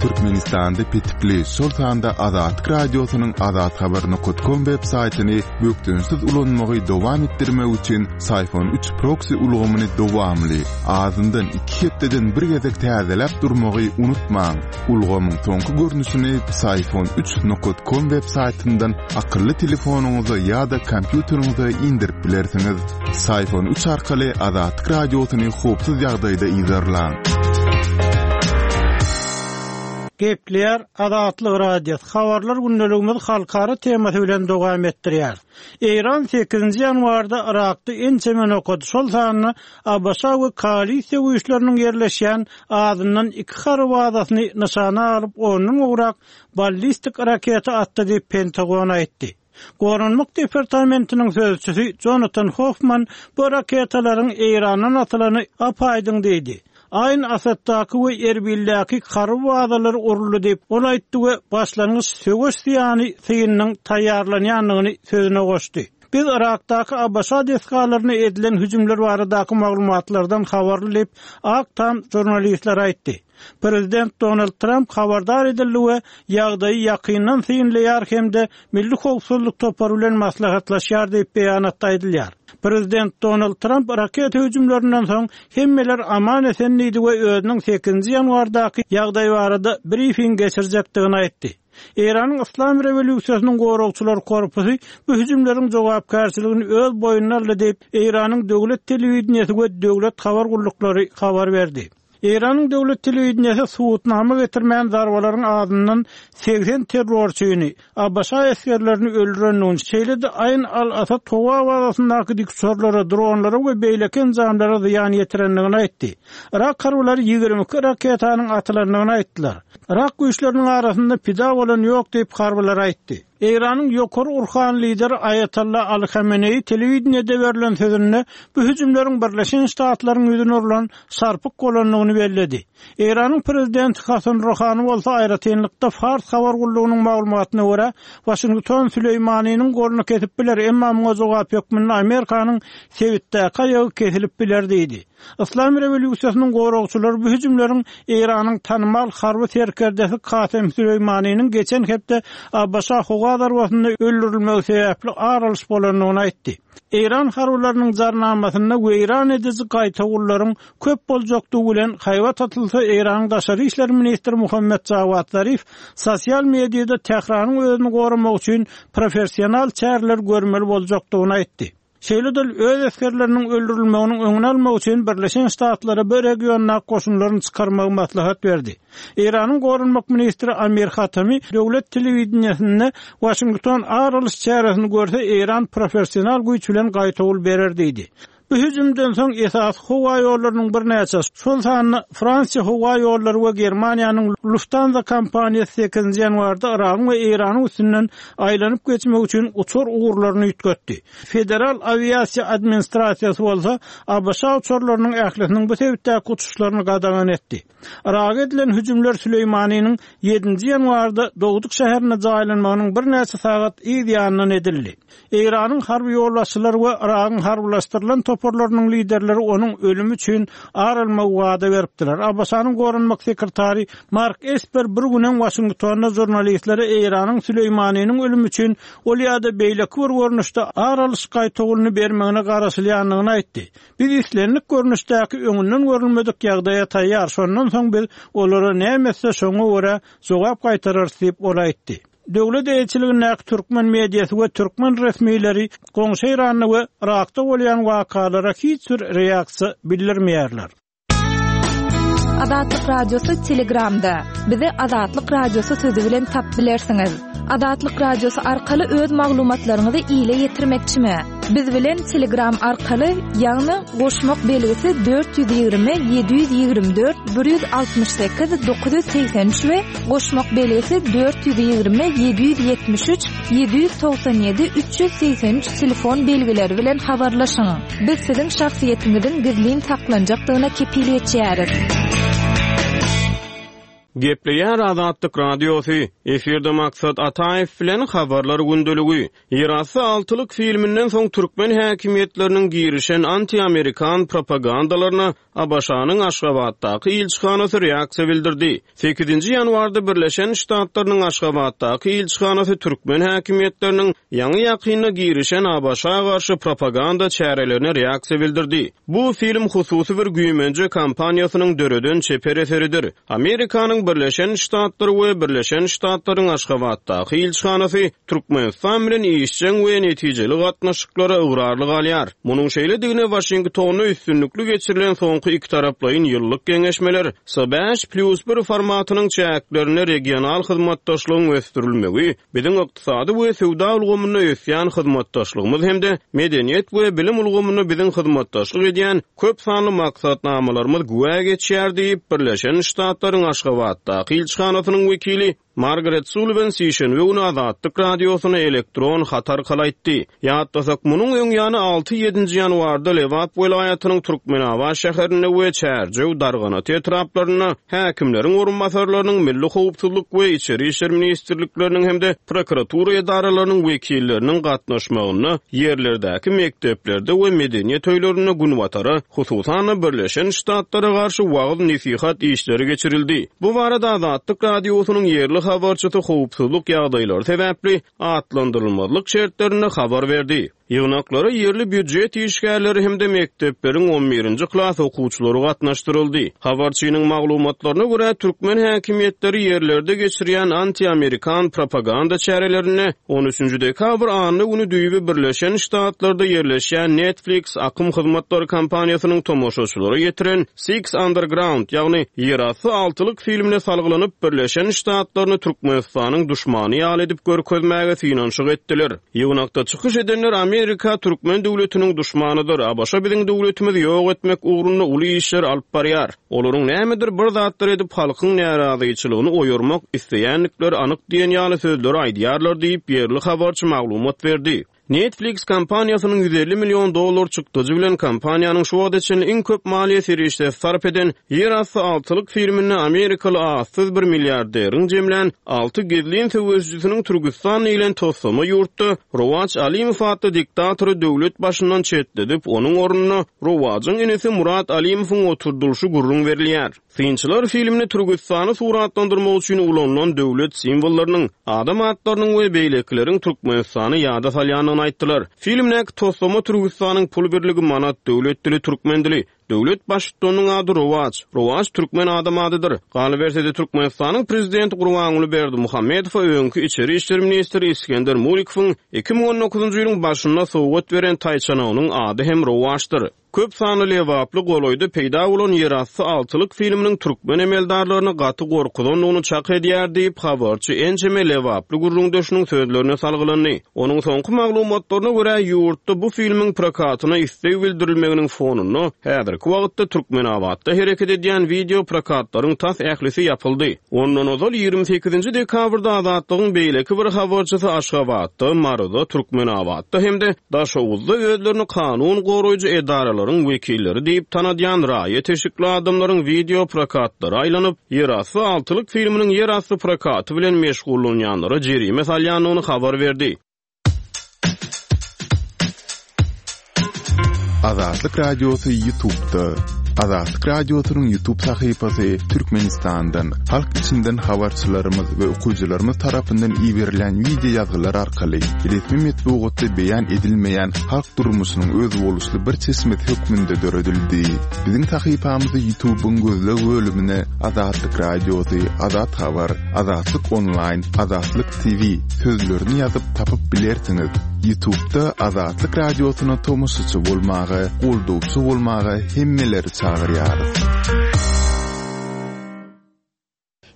Türkmenistanda petikli, şol sanda Azatlyk Radiosynyň azathabar nokat kom web saýtyny bökdençsiz ulanmagy dowam etdirmek üçin Syfon üç proksi ulgamyny dowamly, azyndan iki hepdeden bir gezek täzeläp durmagy unutmaň. Ulgamyň soňky görnüşini Psiphon üç nokat kom web saýtyndan akylly telefonyňyza ýa-da kompýuteriňize indirip bilersiňiz. Psiphon üç arkaly Azatlyk Radiosyny howpsuz ýagdaýda yzarlaň. Gepleýär Azatlyk Radiosy, Habarlar gündeligimizi halkara temasy bilen dowam etdirýäris. Eýran sekizinji ýanwarda Yrakda ençeme nokady, şol sanda ABŞ we koalisiýa güýçleriniň ýerleşýän azyndan iki harby bazasyny nyşana alyp, ondan gowrak ballistik raketa atdy diýip, Pentagon aýtdy. Goranmak departamentiniň sözçüsi Jonatan Hoffman bu raketalaryň Eýrandan atylany ap-aýdyň diýdi. Aýn Asaddaky we Erbildäki harby bazalar uruldy diýip, ol aýtdy we başlangyç söweş zyýany synynyň taýýarlanýandygyny sözüne goşdy. Biz Yrakdaky ABŞ desgalaryna edilen hüjümler baradaky maglumatlardan habarly diýip, Ak Tam žurnalistlere aýtdy. Prezident Donald Tramp habardar edildi we ýagdaýy ýakyndan synlaýar hem-de Milli howpsuzlyk topary bilen maslahatlaşýar diýip, beýanatda aýdylýar. Prezident Donald Tramp raketa hüjümlerinden soň hemmeler aman-esen diýdi we özüniň sekizinji ýanwardaky ýagdaý barada brifing geçirjekdigini aýtdy. Eýranyň Yslam rewolýusiýasynyň goragçylar korpusy bu hüjümleriň jogapkärçiligini öz boýnuna aldy diýip, Eýranyň döwlet telewideniýesi we döwlet habar gulluklary habar berdi. Eýranyň döwlet telewideniýesi subutnama getirmän zarbalaryň azyndan 80 terrorçyny, ABŞ esgerlerini öldürendigini, şeýle-de Aýn al-Asad howa bazasyndaky dikuçarlara, dronlara we beýleki enjamlara zyýan ýetirendigini aýtdy. Yrak harbylary 22 raketanyň atylandygyny aýtdylar. Yrak güýçleriniň arasynda pida bolan ýok diýip, harbylar aýtdy. Eýranyň ýokary urhany lideri Aýatolla Aly Hameneýi telewideniýede berlen sözünde bu hüjümleriň Birleşen Ştatlaryň ýüzüne urlan şarpyk bolandygyny belledi. Eýranyň prezidenti Hasan Ruhany bolsa aýratynlykda Fars habar gullugynyň maglumatyna görä, Waşington Süleýmanynyň goluny kesip biler, emma muňa jogap hökmünde Amerikanyň sebitdäki aýagy kesilip biler diýdi. Yslam rewolýusiýasynyň goragçylary bu hüjümleriň Eýranyň tanymal harby serkerdesi Kasem Süleýmanynyň geçen hepde ABŞ howa zarbasynda öldürilmegi sebäpli ar alyş bolandygyny aýtdy. Eýran harbylarynyň jarnamasynda weýran ediji gaýtawullaryň köp boljakdygy bilen haýbat atylsa, Eýranyň daşary işler ministri Muhammet Jawad Zarif sosial mediada Tähranyň özüni goramak üçin professional çäreler görmeli boljakdygyny aýtdy. Şeýle-de ol öz esgerleriniň öldürilmeginiň öňüni almak üçin Birleşen Ştatlara bu regiondaky goşunlaryny çykarmagy maslahat berdi. Eýranyň goranmak ministri Amir Hatami döwlet telewideniýesinde Waşington ar alyş çäresini görse, Eýran professional güýç bilen gaýtawul berer diýdi. Bu hüjümden soň esasy howa ýollarynyň birnäçesi, şol sanda Fransiýa howa ýollary we Germaniýanyň Lufthansa kompaniýasy sekizinji ýanwarda Yragyň we Eýranyň üstünden aýlanyp geçmek üçin uçar ugurlaryny üýtgetdi. Federal awiasiýa administrasiýasy bolsa ABŞ uçarlarynyň ählisiniň bu sebitdäki uçuşlaryny gadagan etdi. Yraga edilen hüjümler Süleýmanynyň ýedinji ýanwarda dogduk şäherinde jaýlanmagynyň birnäçe sagat yz ýanyndan edildi. Eýranyň harby ýolbaşçylary we Yragyň harbylaşdyrylan toparlarynyň liderleri onuň ölümi üçin ar almagy wada beripdiler. ABŞ-nyň goranmak sekretary Mark Esper bir gün öň Waşingtonda žurnalistlere Eýranyň Süleýmanynyň ölümi üçin ol ýa-da beýleki bir görnüşde ar alyş gaýtawulyny bermegine garaşylýandygyny aýtdy. Biz islendik görnüşdäki öňünden görülmedik ýagdaýa taýýar, şondan soň biz olara näme etse şoňa görä jogap gaýtararys diýip, ol aýtdy. Döwlet eýeçiligindäki türkmen mediasy we türkmen resmileri goňşy Eýranda we Yrakda bolýan wakalara hiç bir reaksiýa bildirmeýärler. Azatlyk Radiosy Telegramda. Bizi Azatlyk Radiosy sözi bilen tap bilersiňiz. Azatlyk Radiosy arkaly öz maglumatlaryňyzy ile ýetirmekçimi? Biz bilen Telegram arkaly, ýagny goşmak belgisi 420 724 168 983 we goşmak belgisi 420 773 797 383 telefon belgileri bilen habarlaşyň. Biz siziň şahsyýetiňiziň gizlin saklanjakdygyna kepil geçýäris. Gepleýär Azatlyk Radiosy, Efirde Maksat Ataýew bilen Habarlar gündeligi. Ýerasty altylyk filminden soň türkmen häkimiýetleriniň girişen anti-amerikan propagandalaryna ABŞ-nyň Aşgabatdaky ilçihanasy reaksiýa bildirdi. Sekizinji ýanwarda Birleşen Ştatlarynyň Aşgabatdaky ilçihanasy türkmen häkimiýetleriniň ýaňy-ýakynda girişen ABŞ-a garşy propaganda çärelerine reaksiýa bildirdi. Bu film hususy bir güýmenje kompaniýasynyň döreden çeper eseridir. Amerikanyň Birleşen Ştatlary we Birleşen Ştatlaryň Aşgabatdaky ilçihanasy Türkmenistan bilen işjeň we netijeli gatnaşyklara ygrarly galýar. Munuň şeýledigine Waşingtonda üstünlikli geçirilen soňky ikitaraplaýyn ýyllyk geňeşmeler, S bäş plýus bir formatynyň çäklerinde regional hyzmatdaşlygyň ösdürilmegi, biziň ykdysady we söwda ulgamynda ösýän hyzmatdaşlygymyz hem-de medeniýet we bilim ulgamynda biziň hyzmatdaşlyk edýän köp sanly maksatnamalarymyz güwä geçýär diýip, Birleşen Ştatlaryň Aşgabatdaky ilçihanasynyň wekili Margaret Sulliwan sişenbe güni Azatlyk Radiosyna elektron hat arkaly aýtdy. Ýatlasak, munuň öň ýany alty-ýedinji ýanwarda Lebap welaýatynyň Türkmenabat şäherinde we Çärjew, Darganata etraplarynda häkimleriň orunbasarlarynyň, Milli howpsuzlyk we Içeri işler ministrlikleriniň hem-de prokuratura edaralarynyň wekilleriniň gatnaşmagynda ýerlerdäki mekdeplerde we medeniýet öýlerinde Günbatara, hususan-da, Birleşen Ştatlara garşy wagyz-nesihat işleri geçirildi. Bu barada Azatlyk Radiosynyň ýerli habarçysy howpsuzlyk ýagdaýlary sebäpli atlandyrylmazlyk şertlerinde habar berdi. Ýygnaklara ýerli býujet işgärleri hem-de mekdepleriň on birinji klas okuwçylary gatnaşdyryldy. Habarçynyň maglumatlaryna görä, türkmen häkimiýetleri ýerlerde geçirýän anti-amerikan propaganda çärelerinde on üçünji dekabr anna güni düýbi Birleşen Ştatlarda ýerleşýän Netflix akym hyzmatlary kompaniýasynyň tomaşaçylara ýetiren Six Underground, ýagny Ýerasty altylyk filmine salgylanyp, Birleşen Ştatlaryny Türkmenistanyň duşmany ýaly edip görkezmäge synanyşyk etdiler. Ýygnakda çykyş edenler Amerika türkmen döwletiniň duşmanydyr, ABŞ biziň döwletimizi ýok etmek ugrunda uly işler alyp barýar. Olaryň nämedir bir zatlar edip halkyň närazyçylygyny oýarmak isleýändikleri anyk diýen ýaly sözleri aýdýarlar diýip, ýerli habarçy maglumat berdi. Netflix kompaniýasynyň 150 million dollar çykdajy bilen kompaniýanyň şu wagta çenli iň köp maliýe serişdesi sarp eden Ýerasty altylyk filminde amerikaly atsyz bir milliarderiň jemlän alty gizlin söweşijisiniň Türküstan diýlen toslama ýurtda Rowaç Alimow atly diktatory döwlet başyndan çetledip, onuň ornuna Rowajyň inisi Murat Alimowyň oturdylyşy gürrüň berilýär. Synçylar filmde Türküstany suratlandyrmak üçin ulanylan döwlet simwollarynyň, adam atlarynyň we beýlekileriň Türkmenistany ýada salýandygyny aýtdylar. Filmdäki toslama Türküstanyň pul birligi manat, döwlet dili türkmen dili, döwlet baştutanynyň ady Rowaç, Rowaç türkmen adam adydyr. Galyberse-de Türkmenistanyň prezidenti Gurbanguly Berdimuhamedowa öňki içeri işler ministri Isgender Murikowyň 2019-njy ýylyň başynda sowgat beren taýçanagynyň ady hem Rowaçdyr. Köp sanly lebaply golaýda peýda bolan Ýerasty altylyk filminiň türkmen emeldarlaryny gaty gorkuzandygyny çak edýär diýip, habarçy ençeme lebaply gürrüňdeşiniň sözlerine salgylandy. Onuň soňky maglumatlaryna görä, ýurtda bu filmiň prokatyna isleg bildirilmeginiň fonunda, häzirki wagtda Türkmenabatda hereket edýän wideo prokatlaryň tas ählisi ýapyldy. Ondan ozal, 28-nji dekabrda Azatlygyň beýleki bir habarçysy Aşgabatda, Maryda, Türkmenabatda hem-de Daşoguzda özlerini kanun goraýjy edaralaryň wekilleri diýip tanadýan raýat eşikli adamlaryň wideo prokatlara aýlanyp, Ýerasty altylyk filminiň ýerasty prokaty bilen meşgullanýanlara jerime salýandygyny habar berdi. Azatlyk Radiosy Ýutubda. Azatlyk Radiosynyň Ýutub sahypasy Türkmenistandan, halk içinden habarçylarymyz we okyjylarymyz tarapyndan iberilen wideo ýazgylar arkaly resmi metbugatda beýan edilmeýän halk durmuşynyň özboluşly bir çeşmesi hökmünde döredildi. Biziň sahypamyzy Ýutubyň gözleg bölümine Azatlyk Radiosy, Azat Habar, Azatlyk Onlaýn, Azatlyk TV sözlerini ýazyp tapyp bilersiňiz. Ýutubda Azatlyk Radiosyna tomaşaçy bolmaga, goldawçy bolmaga hemmeleri çagyrýarys.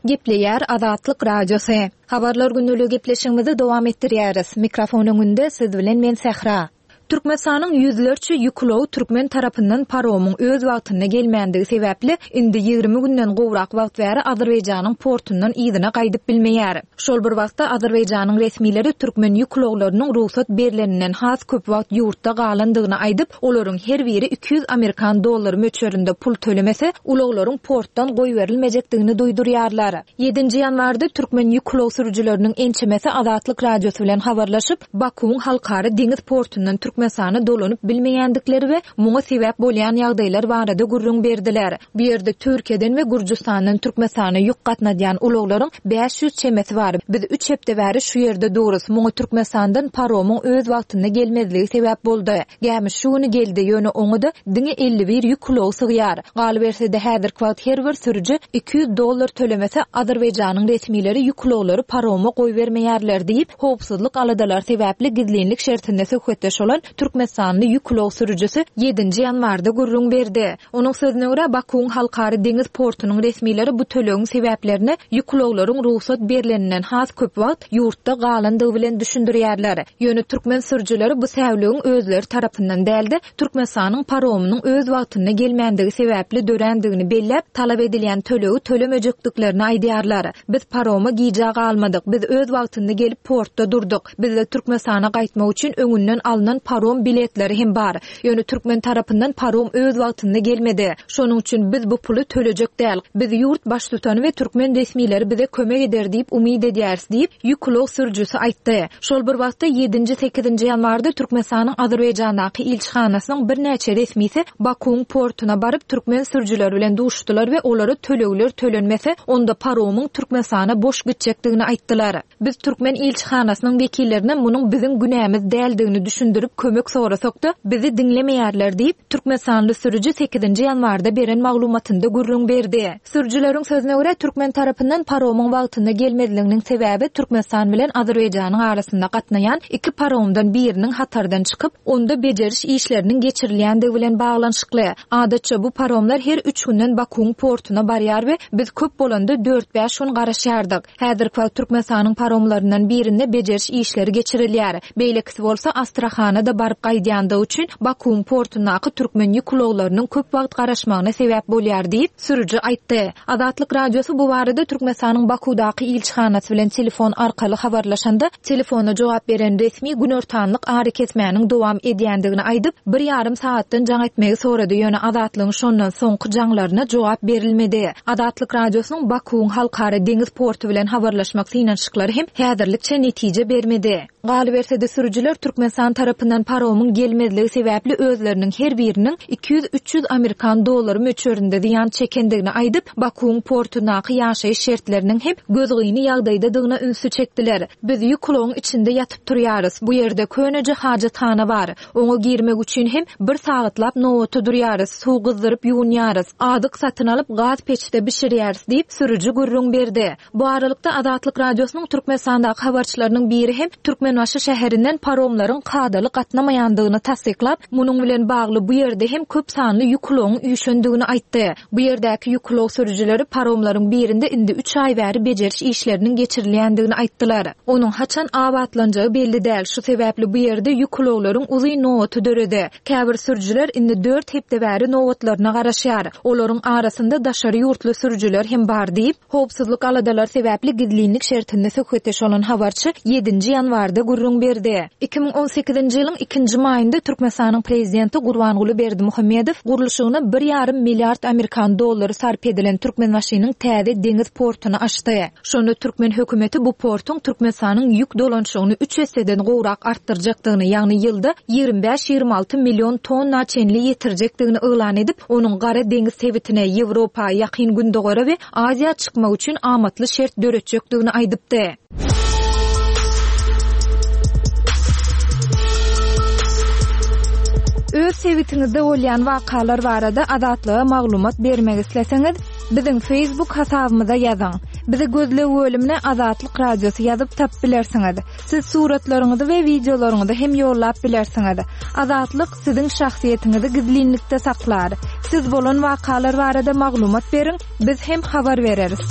Gepleýär Azatlyk Radiosy. Habarlar gündeligi gepleşigimizi dowam etdirýäris. Mikrofon öňünde siz bilen men Sähra. Türkmenistanyň ýüzlerçe ýük ulagy türkmen tarapyndan paromyň öz wagtynda gelmändigi sebäpli, indi 20 günden gowrak wagt bäri Azerbaýjanyň portundan yzyna gaýdyp bilmeýär. Şol bir wagtda, Azerbaýjanyň resmileri türkmen ýük ulaglarynyň rugsat berleninden has köp wagt ýurtda galandygyny aýdyp, olaryň her biri 200 amerikan dollary möçberinde pul tölemese, ulaglaryň portdan goýberilmejekdigini duýdurýarlar. Ýedinji ýanwarda türkmen ýük ulag sürüjileriniň ençemesi Azatlyk Radiosy bilen habarlaşyp, Bakuwyň halkara deňiz portundan Türkmenistana dolanyp bilmeýändikleri we muňa sebäp bolýan ýagdaýlar barada gürrüň berdiler. Bu ýerde Türkiýeden we Gürjüstandan Türkmenistana ýük gatnadýan ulaglaryň 500 çemesi bar. Biz üç hepde bäri şu ýerde durus. Muňa Türkmenistandan paromyň öz wagtynda gelmezligi sebäp boldy. Gämi şu güni geldi, ýöne oňa-da diňe 51 ýük ulagy sygýar. Galyberse-de, häzirki wagt her bir sürüji 200 dollar tölemese, Azerbaýjanyň resmileri ýük ulaglary paroma goýbermeýärler diýip, howpsuzlyk aladalary sebäpli gizlinlik şertinde söhbetdeş bolan türkmenistanly ýük ulag sürüjisi ýedinji ýanwarda gürrüň berdi. Onuň sözüne görä, Bakuwyň halkara deňiz portunyň resmileri bu tölegiň sebäplerini ýük ulaglaryň rugsat berleninden has köp wagt ýurtda galandygy bilen düşündirýärler. Ýöne türkmen sürüjileri bu säwligiň özleri tarapyndan däl-de, Türkmenistanyň paromynyň öz wagtynda gelmändigi sebäpli dörändigini belläp, talap edilýän tölegi tölemejekdiklerini aýdýarlar. Biz paroma gijä galmadyk, biz öz wagtynda gelip portda durduk. Bizde Türkmenistana gaýtmak üçin öňünden alnan parom biletleri hem bar. Ýöne türkmen tarapyndan parom öz wagtynda gelmedi. Şonuň üçin biz bu puly tölejek däl. Biz ýurt baştutany we türkmen resmileri bize kömek eder diýip umyt edýäris diýip, ýük ulag sürüjisi aýtdy. Şol bir wagtda, ýedinji, sekizinji ýanwarda Türkmenistanyň Azerbaýjandaky ilçihanasynyň birnäçe resmisi Bakuwyň portuna baryp, türkmen sürüjileri bilen duşdular we olara tölegler tölenmese, onda paromyň Türkmenistana boş gitjekdigini aýtdylar. Biz türkmen ilçihanasynyň wekillerine munuň biziň günämiz däldigini düşündirip kömek sorasak-da, bizi diňlemeýärler diýip, türkmenistanly sürüji sekizinji ýanwarda beren maglumatynda gürrüň berdi. Sürüjileriň sözüne görä, türkmen tarapyndan paromyň wagtynda gelmezliginiň sebäbi Türkmenistan bilen Azerbaýjanyň arasynda gatnaýan iki paromdan biriniň hatardan çykyp, onda bejeriş işleriniň geçirilýändigi bilen baglanyşykly. Adatça, bu paromlar her üç günden Bakuwyň portuna barýar we biz köp bolanda dört-bäş gün garaşýardyk. Häzirki wagt Türkmenistanyň paromlaryndan birinde bejeriş işleri geçirilýär. Beýlekisi bolsa Astrahana-da baryp gaýdýandygy üçin Bakuwyň portundaky türkmen ýük ulaglarynyň köp wagt garaşmagyna sebäp bolýar diýip, sürüji aýtdy. Azatlyk Radiosy bu barada Türkmenistanyň Bakuwdaky ilçihanasy bilen telefon arkaly habarlaşanda, telefona jogap beren resmi günortanlyk arakesmäniň dowam edýändigini aýdyp, bir ýarym sagatdan jaň etmegi sorady, ýöne Azatlygyň şondan soňky jaňlaryna jogap berilmedi. Azatlyk Radiosynyň Bakuwyň halkara deňiz porty bilen habarlaşmak synanyşyklary hem häzirlikçe netije bermedi. Galyberse-de, sürüjiler Türkmenistan tarapyndan paromyň gelmezligi sebäpli özleriniň her biriniň 200-300 amerikan dollary möçberinde zyýan çekendigini aýdyp, Bakuwyň portundaky ýaşaýyş şertleriniň hem gözgyny ýagdaýdadygyna ünsi çekdiler. Biz ýük ulagyň içinde ýatyp turýarys. Bu ýerde köneje hajathana bar. Oňa girmek üçin hem bir sagatlap nobata durýarys, suw gyzdyryp ýuwunýarys, azyk satyn alyp gaz peçde bişirýäris diýip, sürüji gürrüň berdi. Bu aralykda, Azatlyk Radiosynyň Türkmenistandaky habarçylarynyň biri hem Türkmenbaşy şäherinden paromlaryň kadaly gatnamaýandygyny tassyklap, munuň bilen bagly bu ýerde hem köp sanly ýük ulagyň üýşendigini aýtdy. Bu ýerdäki ýük ulag sürüjileri paromlaryň birinde indi üç aý bäri bejeriş işleriniň geçirilýändigini aýtdylar. Onuň haçan abatlanjagy belli däl, şu sebäpli bu ýerde ýük ulaglaryň uzyn nobaty döredi. Käbir sürüjiler indi dört hepde bäri nobatlaryna garaşýar. Olaryň arasynda daşary ýurtly sürüjiler hem bar diýip, howpsuzlyk aladalary sebäpli gizlinlik şertinde söhbetdeş bolan habarçy ýedinji ýanwarda gürrüň berdi. 2018-nji ýylyň ikinji maýynda Türkmenistanyň Prezidenti Gurbanguly Berdimuhamedow gurluşygyna bir ýarym milliard amerikan dollary sarp edilen Türkmenbaşynyň täze deňiz portuny açdy. Şonda türkmen hökümeti bu portuň Türkmenistanyň ýük dolanyşygyny üç esseden gowrak artdyrjakdygyny, ýagny ýylda 25-26 million tonna çenli ýetirjekdigini yglan edip, onuň Gara deňiz sebitine, Ýewropa, Ýakyn Gündogara we Aziýa çykmak üçin amatly şert döretjekdigini aýdypdy. Öz sebitiňizde bolýan wakalar barada Azatlyga maglumat bermek isleseňiz, Biziň Facebook hasabymyza ýazyň. Bizi gözleg bölümine Azatlyk Radiosy ýazyp tapyp bilersiňiz. Siz suratlaryňyzy we wideolaryňyzy hem ýollap bilersiňiz. Azatlyk siziň şahsyýetiňizi gizlinlikde saklar. Siz bolan wakalar barada maglumat beriň, biz hem habar bereris.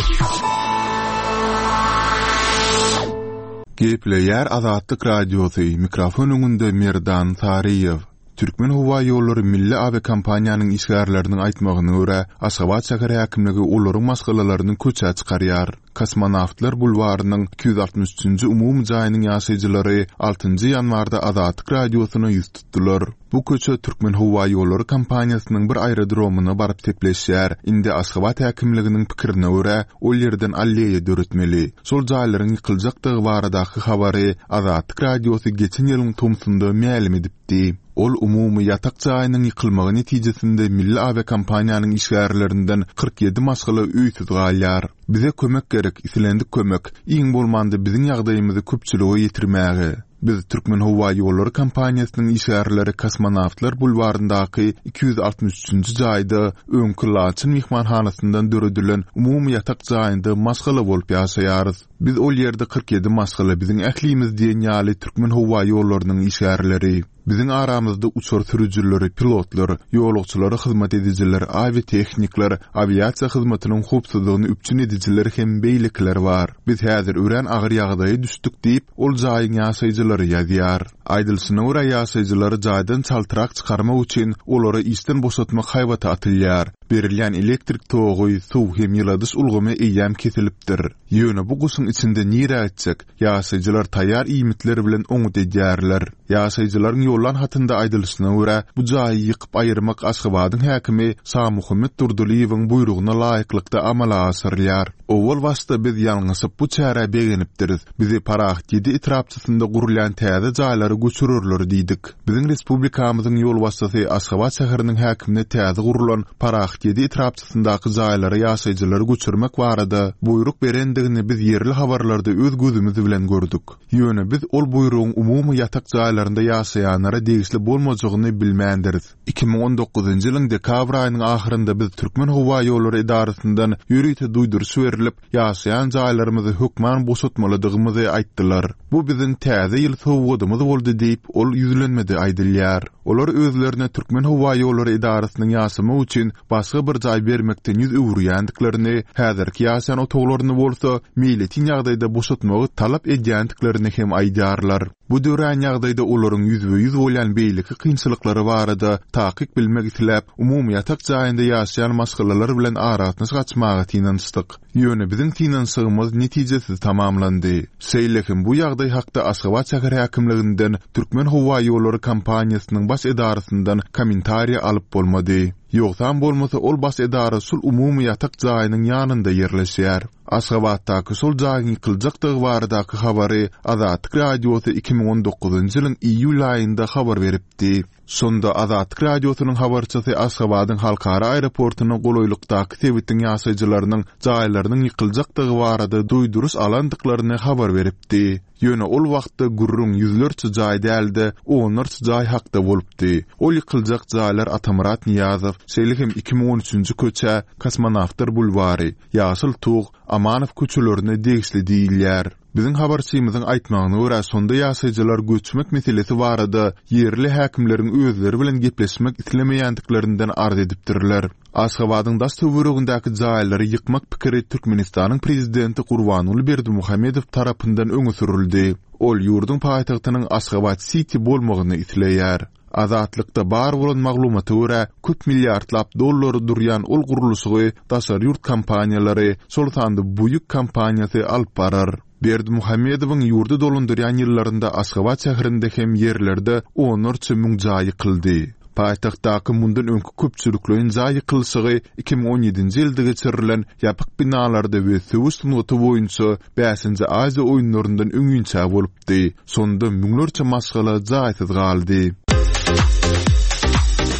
Gepleýär Azatlyk Radiosy, mikrofon öňünde Merdan Saryýew. Türkmenhowaýollary milli awiakompaniýanyň işgärleriniň aýtmagyna görä, Aşgabat şäher häkimligi olaryň maşgalalaryny köçä çykarýar. Kosmonawtlar bulwarynyň 263 üçünji umumy jaýynyň ýaşaýjylary altynjy ýanwarda Azatlyk Radiosyna ýüz tutdular. Bu köçe Türkmenhowaýollary kompaniýasynyň bir aerodromyna baryp sepleşýär. Indi Aşgabat häkimliginiň pikirine görä, ol ýerden alleýa döretmeli. Şol jaýlaryň ýykyljakdygy baradaky habary Azatlyk Radiosy geçen ýylyň tomsunda mälim edipdi. Ol umumy ýatak jaýynyň ýykylmagy netijesinde milli awiakompaniýanyň işgärlerinden 47 maşgala öýsüz galýar. Bize kömek gerek, islendik kömek, iň bolmanda biziň ýagdaýymyzy köpçülige ýetirmäge. Biz Türkmenhowaýollary kompaniýasynyň işgärleri Kosmonawtlar bulwaryndaky 263-nji jaýda öňki Laçyn myhmanhanasyndan döredilen umumy ýatak jaýynda maşgala bolup ýaşaýarys. Biz ol ýerde 47 maşgala biziň ählimiz diýen ýaly Türkmenhowaýollarynyň işgärleri. Biziň aramyzda uçar sürüjileri, pilotlar, ýolagçylara hyzmat edijiler, awiatehnikler, awiasiýa hyzmatynyň howpsuzlygyny üpjün edijiler hem beýlekiler bar. Biz häzir örän agyr ýagdaýa düşdük diýip, ol jaýyň ýaşaýjylary ýazýar. Aýdylyşyna görä, ýaşaýjylary jaýdan çaltrak çykarmak üçin olary işden boşatmak haýbaty atylýar. Berilýän elektrik togy, suw hem ýyladyş ulgamy eýýäm kesilipdir. Ýöne bu gyşyň içinde nirä gitjek? Ýaşaýjylar taýýar iýmitler bilen oňňut edýärler. Ýaşaýjylaryň ýollan hatynda aýdylyşyna görä, bu jaýy ýykyp aýyrmak Aşgabadyň häkimi Şamuhammet Durdylyýewiň buýrugyna laýyklykda amala aşyrylýar. Owal başda biz ýalňyşyp bu çärä begenipdiris. Bizi Parahat ýedi etrapçasynda gurulýan täze jaýlara göçürerler diýdik. Biziň respublikamyzyň ýolbaşçysy Aşgabat şäheriniň häkimine täze gurlan Parahat ýedi etrapçasyndaky jaýlara ýaşaýjylary göçürmek barada buýruk berendigini biz ýerli habarlarda öz gözümiz bilen gördük. Ýöne biz ol buýrugyň umumy ýatak jaýlarynda ýaşaýanlara degişli bolmajagyny bilmändiris. 2019-njy ýylyň dekabr aýynyň ahyrynda biz Türkmenhowaýollary edarasyndan ýörite duýduryş berlip, ýaşaýan jaýlarymyzy hökman boşatmalydygymyzy aýtdylar. Bu biziň Täze ýyl sowgadymyz boldy diýip, ol ýüzlenmede aýdylýar. Olar özlerine Türkmenhowaýollary edarasynyň ýaşamak üçin başga bir jaý bermekden ýüz öwürýändiklerini, häzirki ýaşaýan otaglaryny bolsa meýletin ýagdaýda boşatmagy talap edýändiklerini hem aýdýarlar. Bu dörän ýagdaýda olaryň ýüzbe-ýüz bolýan beýleki kynçylyklary barada takyk bilmek isläp, umumy ýatak jaýynda ýaşaýan maşgalalar bilen aragatnaşyk açmaga synanyşdyk. Ýöne biziň synanyşygymyz netijesiz tamamlandy. Şeýle hem bu ýagdaý hakda Aşgabat şäher häkimliginden, Türkmenhowaýollary kompaniýasynyň baş edarasyndan kommentariýa alyp bolmady. Ýogsam bolmasa ol baş edara şul umumy ýatak jaýynyň ýanynda ýerleşýär. Aşgabatdaky şol jaýyň ýykyljakdygy baradaky habary Azatlyk Radiosy 2019-njy ýylyň iýul aýynda habar beripdi. Şonda Azatlyk Radiosynyň habarçysy Aşgabadyň halkara aeroportuna golaýlykdaky sebitiň ýaşaýjylarynyň jaýlarynyň ýykyljakdygy barada duýduryş alandyklaryny habar beripdi. Ýöne ol wagtda gürrüň ýüzlerçe jaý däl-de, onlarça jaý hakda bolupdy. Ol ýykyljak jaýlar Atamyrat Nyýazow, şeýle hem 2013-nji köçä, Kosmonawtlar bulwary, Ýaşyl Tug, Amanow köçelerine degişli diýilýär. Biziň habarçymyzyň aýtmagyna görä, şonda ýaşaýjylar göçmek meselesi barada ýerli häkimleriň özleri bilen gepleşmek islemeýändiklerinden arz edipdirler. Aşgabadyň daş-töweregindäki jaýlary ýykmak pikiri Türkmenistanyň prezidenti Gurbanguly Berdimuhamedow tarapyndan öňe sürüldi. Ol ýurduň paýtagtynyň Aşgabat-siti bolmagyny isleýär. Azatlykda bar bolan maglumata görä, köp milliardlap dollara durýan ol gurluşygy daşary ýurt kompaniýalary, şol sanda Buýuk kompaniýasy alyp barar. Berdimuhamedowyň ýurdy dolandyrýan ýyllarynda Aşgabat şäherinde hem ýerlerde onlarça müň jaý ýykyldy. Paýtagtdaky mundan öňki köpçülikleýin jaý ýykylyşygy 2017-nji ýylda geçirilen ýapyk binalarda we söweş sungaty boýunça Bäşinji Aziýa oýunlaryndan öňinçä bolupdy. Şonda müňlerçe maşgala jaýsyz galdy.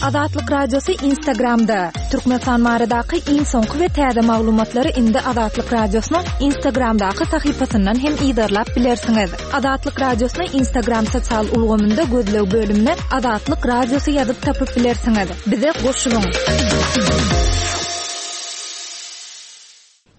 Azatlyk Radiosy Instagramda, Türkmenistan baradaky iň soňky we täze maglumatlary indi Azatlyk Radiosynyň Instagramdaky sahypasyndan hem yzarlap bilersiňiz. Azatlyk Radiosyny Instagram sosial ulgamynda gözleg bölümine Azatlyk Radiosy ýazyp tapyp bilersiňiz. Bize goşulyň!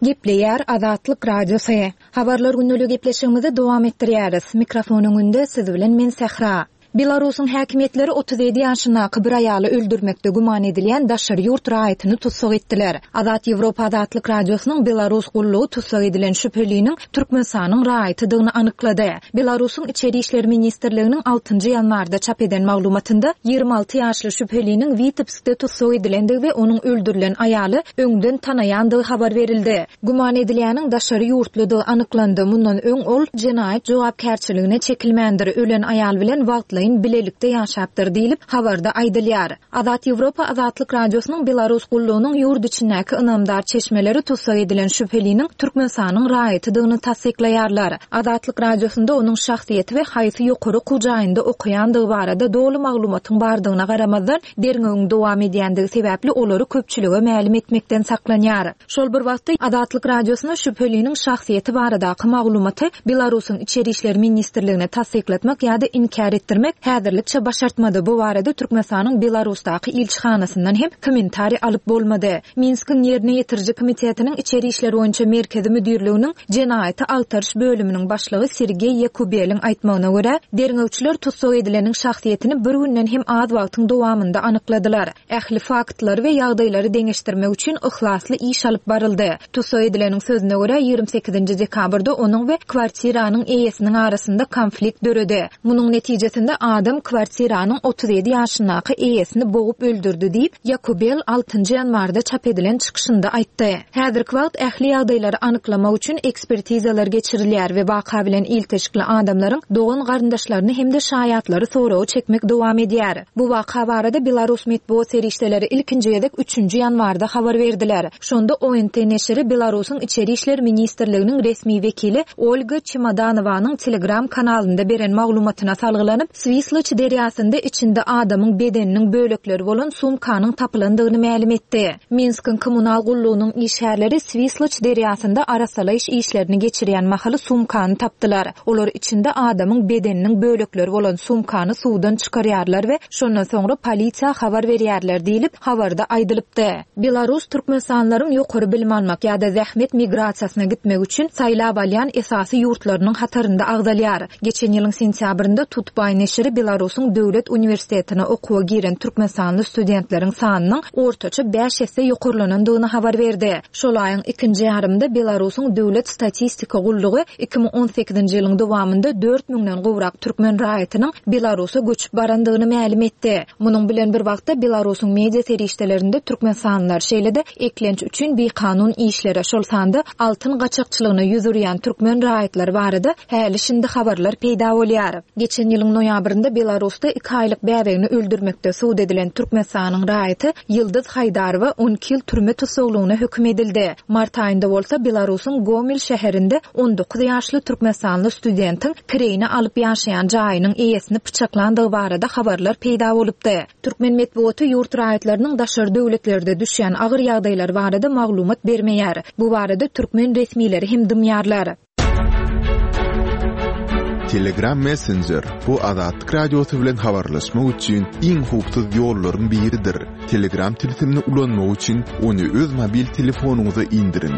Gepleýär Azatlyk Radiosy. Habarlar gündeligi gepleşigimizi dowam etdirýäris. Mikrofon öňünde siz bilen men Sähra. Belarusyň häkimiýetleri 37 ýaşyndaky bir aýaly öldürmekde güman edilýän daşary ýurt raýatyny tussag etdiler. Azat Ýewropa Azatlyk Radiosynyň Belarus gullugy tussag edilen şübheliniň Türkmenistanyň raýatydygyny anyklady. Belarusyň Içeri işler ministrliginiň altynjy ýanwarda çap eden maglumatynda 26 ýaşly şübheliniň Witebskde tussag edilendigi we onuň öldürilen aýaly öňden tanaýandygy habar berildi. Güman edilýäniň daşary ýurtludygy anyklandy, mundan öň ol jenaýat jogapkärçiligine çekilmändir, ölen aýal bilen wagtlaýyn bilelikde ýaşapdyr diýlip, habarda aýdylýar. Azat Ýewropa Azatlyk Radiosynyň Belarus gullugynyň ýurt içindäki ynamdar çeşmeleri tussag edilen şübheliniň Türkmenistanyň raýatydygyny tassyklaýarlar. Azatlyk Radiosynda onuň şahsyýeti we haýsy ýokary okuw jaýynda okaýandygy barada doly maglumatyň bardygyna garamazdan, derňewiň dowam edýändigi sebäpli olary köpçülige mälim etmekden saklanýar. Şol bir wagtda, Azatlyk Radiosyna şübheliniň şahsyýeti baradaky maglumaty Belarusyň Içeri işler ministrligine tassyklatmak ýa-da inkär etdirmek häzirlikçe başartmady, bu barada Türkmenistanyň Belarusdaky ilçihanasyndan hem kommentariý alyp bolmady. Minskiň Ýerine ýetiriji komitetiniň Içeri işler boýunça merkezi müdirliginiň Jenaýaty agtaryş bölüminiň başlygy Sergeý Ýakubeliň aýtmagyna görä, derňewçiler tussag edileniň şahsyýetini bir günden hem az wagtyň dowamynda anykladylar. Ähli faktlary we ýagdaýlary deňeşdirmek üçin yhlasly iş alyp baryldy. Tussag edileniň sözüne görä, 28-nji dekabrda onuň we kwartiranyň eýesiniň arasynda konflikt döredi. Munuň netijesinde adam kwartiranyň 37 ýaşyndaky eýesini bogup öldürdi diýip, Ýakubel altynjy ýanwarda çap edilen çykyşynda aýtdy. Häzirki wagt ähli ýagdaýlary anyklamak üçin ekspertizalar geçirilýär we waka bilen ilteşikli adamlaryň dogan-garyndaşlaryny hem-de şaýatlary soraga çekmek dowam edýär. Bu waka barada belarus metbugat serişdeleri ilkinji gezek üçünji ýanwarda habar berdiler. Şonda ONT neşiri Belarusyň Içeri işler ministrliginiň resmi wekili Olga Çemodanowanyň Telegram kanalynda beren maglumatyna salgylanyp, Swisloç derýasynda içinde adamyň bedeniniň bölekleri bolan sumkanyň tapylandygyny mälim etdi. Minskiň kommunal gullugynyň işgärleri Swisloç derýasynda arassalaýyş işlerini geçirýän mahaly sumkany tapdylar. Olar içinde adamyň bedeniniň bölekleri bolan sumkany suwdan çykarýarlar we şondan soňra polisiýa habar berýärler diýlip, habarda aýdylypdy. Belarus türkmenistanlylaryň ýokary bilim almak ýa-da zähmet migrasiýasyna gitmek üçin saýlap alýan esasy ýurtlarynyň hatarynda agzalýar. Geçen ýylyň sentýabrynda Tutbaý neşiri Belarusyň döwlet uniwersitetine okuwa giren türkmenistanly studentleriň sanynyň ortaça bäş esse ýokarlanandygyny habar berdi. Şol aýyň ikinji ýarymynda Belarusyň döwlet statistika gullugy 2018-nji ýylyň dowamynda dört müňden gowrak türkmen raýatynyň Belarusa göçüp barandygyny mälim etdi. Munuň bilen bir wagtda, Belarusyň media serişdelerinde türkmenistanlylar, şeýle-de eklenç üçin bikanun işlere, şol sanda altyn gaçakçylygyna ýüz urýan türkmen raýatlary barada häli-şindi habarlar peýda bolýar. Geçen ýylyň noýabrynda Belarusda iki aýlyk bäbegini öldürmekde sud edilen Türkmenistanyň raýaty Ýyldyz Haýdarowa 12 ýyl türme tussaglygyna höküm edildi. Mart aýynda bolsa Belarusyň Gomel şäherinde 19 ýaşly türkmenistanly studentiň kireýine alyp ýaşaýan jaýynyň eýesini pyçaklandygy barada habarlar peýda bolupdy. Türkmen metbugaty ýurt raýatlarynyň daşary döwletlerde düşýän agyr ýagdaýlary barada maglumat bermeýär. Bu barada türkmen resmileri hem dymýarlar. Telegram Messenger, bu Azatlyk Radiosy bilen habarlaşmak üçin iň howpsuz ýollaryň biridir. Telegram tilsimini ulanmak üçin ony öz mobil telefonyňyza indiriň.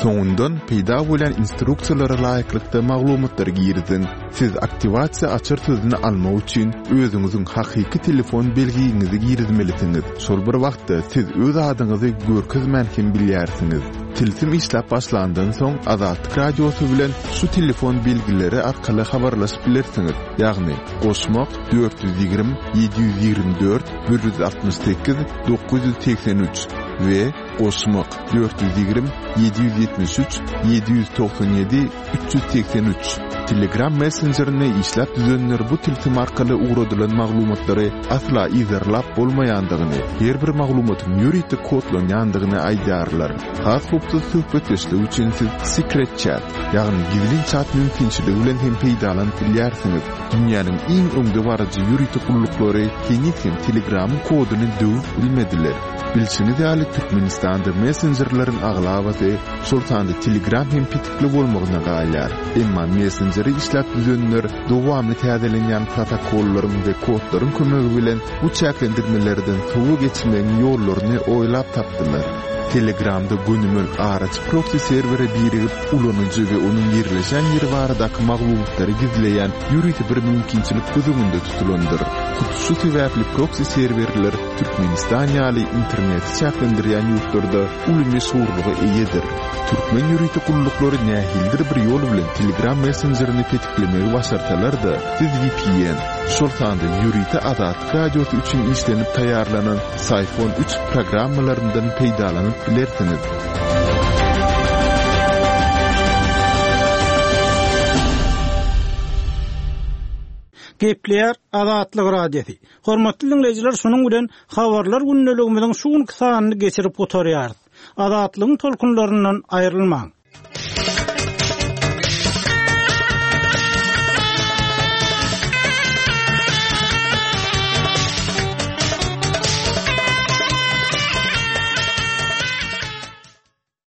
Soňundan peýda bolýan instruksiýalara laýyklykda maglumatlary giriziň. Siz aktiwasiýa açar sözüni almak üçin özüňiziň hakyky telefon belgiňizi girizmelisiňiz. Şol bir wagtda siz öz adyňyzy görkezmän hem bilýärsiňiz. Tilsim işläp başlandan soň Azatlyk Radiosy bilen şu telefon belgileri arkaly habarlaşyp bilersiňiz, ýagny, goşmak, 420 724 168 983 we goşmak, 420 773 797 383. Telegram messenjerini işläp düzenler bu tilsim arkaly ugradylan maglumatlary asla yzarlap bolmaýandygyny, her bir maglumatyň ýörite kodlanýandygyny aýdýarlar. Has howpsuz söhbetdeşlik üçin siz Secret Chat, ýagny gizlin çat mümkinçiligi bilen hem peýdalanyp bilýärsiňiz. Dünýäniň iň öňdebaryjy ýörite gulluklary heniz hem Telegramyň koduny döwüp bilmediler. Bilşiňiz ýaly, Türkmenistanda messenjerleriň aglabasy, şol sanda Telegram hem petikli bolmagyna galýar. Emma messenjeri işläp düzenler dowamly täzelenýän protokollaryň we kodlaryň kömegi bilen bu çäklendirmelerden sowa geçmegiň ýollaryny oýlap tapdylar. Telegramda gönümel araçy proksi serwere birigip, ulanyjy we onuň ýerleşen ýeri baradaky maglumatlary gizleýän ýörite bir mümkinçilik göz öňünde tutulandyr. Hut şu sebäpli proksi serwerler Türkmenistan ýaly interneti çäklendirýän ýurtlarda uly meşhurlyga eýedir. Türkmen ýörite gulluklary nähilidir bir ýol bilen Telegram messenjerini petiklemegi başarsalar-da, siz vpn, şol sanda ýörite Azatlyk Radiosy üçin işlenip taýýarlanan Syphon üç programmalaryndan peýdalanyp bilersiňiz. Gepleýär Azatlyk Radiosy. Hormatly diňleýjiler şunuň bilen Habarlar gündeligimiziň şu günki sanyny geçirip gutarýarys. Azatlygyň tolkunlaryndan aýrylmaň.